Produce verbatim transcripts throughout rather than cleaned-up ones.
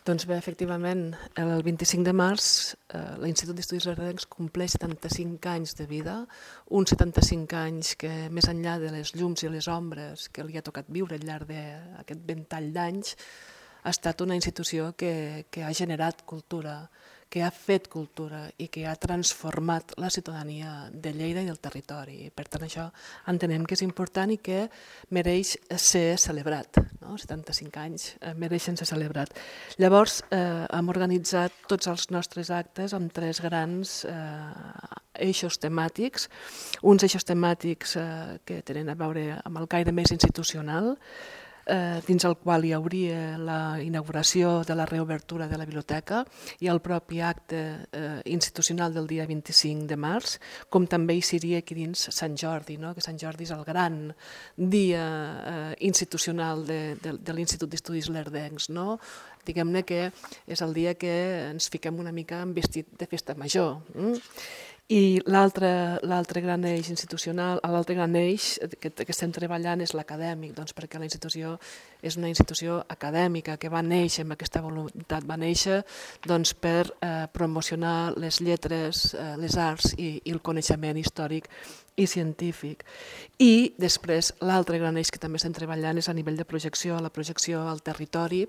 Doncs bé, efectivament, el vint-i-cinc de març eh, l'Institut d'Estudis Lerdencs compleix setanta-cinc anys de vida, uns setanta-cinc anys que, més enllà de les llums i les ombres que li ha tocat viure al llarg d'aquest ventall d'anys, ha estat una institució que, que ha generat cultura, que ha fet cultura i que ha transformat la ciutadania de Lleida i del territori. Per tant, això entenem que és important i que mereix ser celebrat. No? setanta-cinc anys eh, mereixen ser celebrat. Llavors, eh, hem organitzat tots els nostres actes amb tres grans eh, eixos temàtics, uns eixos temàtics eh, que tenen a veure amb el caire més institucional, Eh, dins el qual hi hauria la inauguració de la reobertura de la biblioteca i el propi acte eh, institucional del dia vint-i-cinc de març, com també hi seria aquí dins Sant Jordi, no? que Sant Jordi és el gran dia eh, institucional de, de, de l'Institut d'Estudis Lerdencs. No? Diguem-ne que és el dia que ens fiquem una mica en vestit de festa major. Mm? I l'altre gran eix institucional, l'altre gran eix que, que estem treballant és l'acadèmic, doncs perquè la institució és una institució acadèmica que va néixer amb aquesta voluntat, va néixer doncs, per eh, promocionar les lletres, eh, les arts i, i el coneixement històric i científic. I després l'altre gran eix que també estem treballant és a nivell de projecció, la projecció al territori,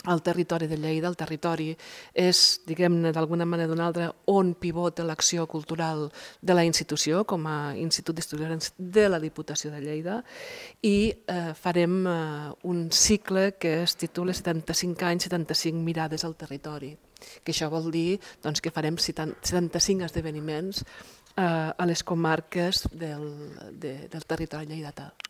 el territori de Lleida. El territori és, diguem-ne, d'alguna manera o d'una altra, on pivota l'acció cultural de la institució, com a Institut d'Estudis de la Diputació de Lleida, i eh, farem eh, un cicle que es titula setanta-cinc anys, setanta-cinc mirades al territori, que això vol dir doncs, que farem setanta-cinc esdeveniments eh, a les comarques del, de, del territori lleidatà.